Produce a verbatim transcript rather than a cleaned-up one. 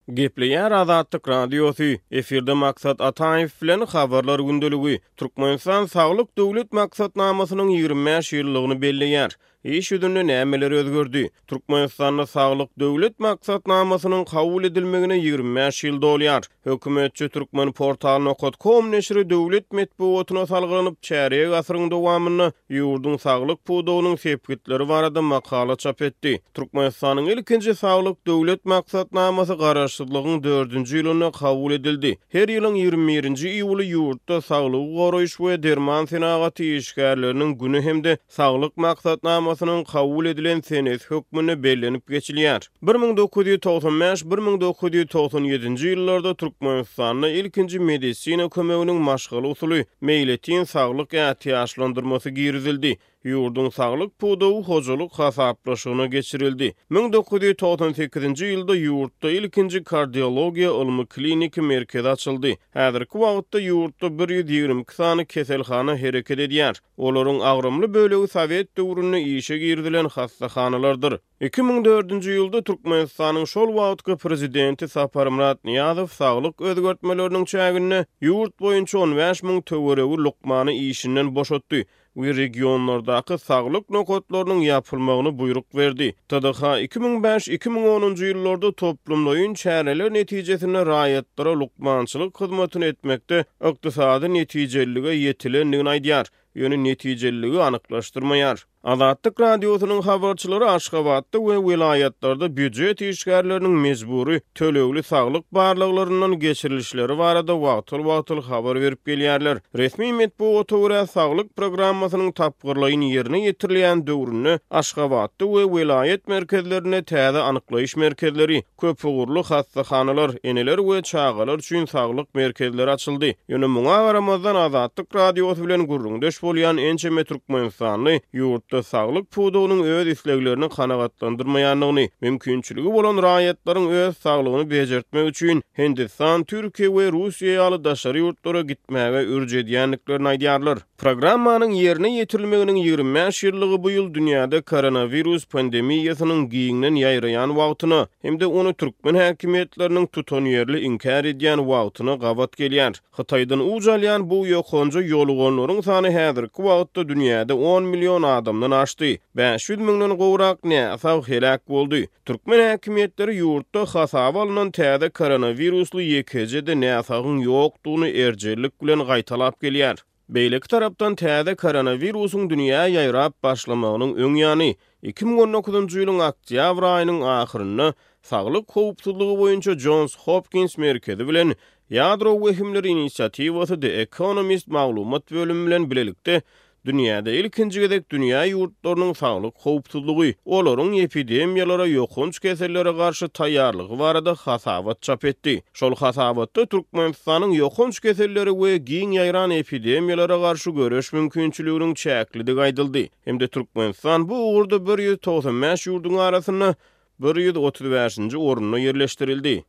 Gepleýär Azatlyk Radiosy, efirde Maksat Ataýew bilen Habarlar gündeligi. Türkmenistan Saglyk döwlet maksatnamasynyň ýigrimi bäş ýyllygyny belleýär. Iş ýüzünde nämeler özgerdi? Türkmenistanda Saglyk döwlet maksatnamasynyň kabul edilmegine ýigrimi bäş ýyl dolýar. Hökümetçi Türkmenportal nokat kom neşiri döwlet metbugatyna salgylanyp, çärýek asyryň dowamynda ýurduň saglyk pudagynyň sepgitleri barada makala çap etdi. Türkmenistanyň ilkinji Saglyk döwlet maksatnamasy garaşsyzlygyň dördünji ýylynda kabul edildi. Her ýylyň ýigrimi birinji iýuly ýurtda saglygy goraýyş we derman senagaty işgärleriniň güni hem-de Saglyk maksatnamasynyň kabul edilen senesi hökmünde bellenip geçilýär. Bir müň dokuz ýüz togsan bäş, bir müň dokuz ýüz togsan ýedinji ýyllarda Türkmenistanda ilkinji medisina kömeginiň maşgala usuly meýletin saglyk ätiýaçlandyrmasy girizildi. Ýurduň saglyk pudagy hojalyk hasaplaşygyna geçirildi. Müň dokuz ýüz togsan sekizinji ýylda ýurtda ilkinji kardiologiýa ylmy-kliniki merkezi açyldy. Häzirki wagtda ýurtda bir ýüz ýigrimi iki sany keselhana hereket edýär. Olaryň agramly bölegi sowet döwründe işe girizilen hassahanalardyr. Iki müň dördünji ýylda Türkmenistanyň şol wagtky prezidenti Saparmyrat Nyýazow saglyk özgertmeleriniň çäginde ýurt boýunça on bäş müň töweregi lukmany işinden boşatdy we regionlardaky saglyk nokatlarynyň ýapylmagyny buýruk berdi. T D H iki müň bäş, iki müň onunjy ýyllarda toplumlaýyn çäreler netijesinde raýatlara lukmançylyk hyzmatyny etmekde ykdysady netijelilige ýetilendigini aýdýar, ýöne netijeliligi anyklaşdyrmaýar. Azatlyk Radiosynyň habarçylary Aşgabatda we welaýatlarda býujet işgärleriniň mejbury tölegli saglyk barlaglaryndan geçirilişleri barada wagtal-wagtal habar berip gelýärler. Resmi metbugata görä saglyk programmasynyň tapgyrlaýyn ýerine ýetirilýän döwründe Aşgabatda we welaýat merkezlerinde täze anyklaýyş merkezleri, köpugurly hassahanalar, eneler we çagalar üçin saglyk merkezleri açyldy. Ýöne muňa garamazdan Azatlyk Radiosy bilen gürrüňdeş bolýan ençeme türkmenistanly ýurtda saglyk pudagynyň öz isleglerini kanagatlandyrmaýandygyny, mümkinçiligi bolan raýatlaryň öz saglygyny bejertmek üçin Hindistan, Türkiýe we Russiýa ýaly daşary ýurtlara gitmäge ürç edýändiklerini aýdýarlar. Programmanyň ýerine ýetirilmeginiň ýigrimi bäş ýyllygy bu ýyl dünýäde koronawirus pandemiýasynyň giňden ýaýraýan wagtyna hem-de ony türkmen häkimiýetleriniň tutanýerli inkär edýän wagtyna gabat gelýär. Hytaýdan uç alýan bu ýokanja ýoluganlaryň sany häzirki wagtda dünýäde on million adamdan aşdy. bäş ýüz müňden gowrak näsag heläk boldy. Türkmen häkimiýetleri ýurtda hasaba alnan täze koronawirusly ýekeje-de näsagyň ýokdugyny erjellik bilen gaýtalap gelýär. Beýleki tarapdan täze koronawirusyň dünýä ýaýrap başlamagynyň öň ýany iki müň on dokuzynjy ýylyň oktýabr aýynyň ahyrynda Saglyk howpsuzlygy boýunça Johns Hopkins merkezi bilen Ýadro wehimleri inisiatiwasy The Economist maglumat bölümi bilen bilelikde dünýäde ilkinji gezek dünýä ýurtlarynyň saglyk howpsuzlygy, olaryň epidemiýalara, ýokanç kesellere garşy taýýarlygy barada hasabat çap etdi. Şol hasabatda Türkmenistanyň ýokanç keselleri we giň ýaýran epidemiýalara garşy göreş mümkinçiliginiň çäklidigi aýdyldy. Hem-de Türkmenistan bu ugurda bir ýüz togsan bäş ýurduň arasynda bir ýüz otuz bäşinji orunda ýerleşdirildi.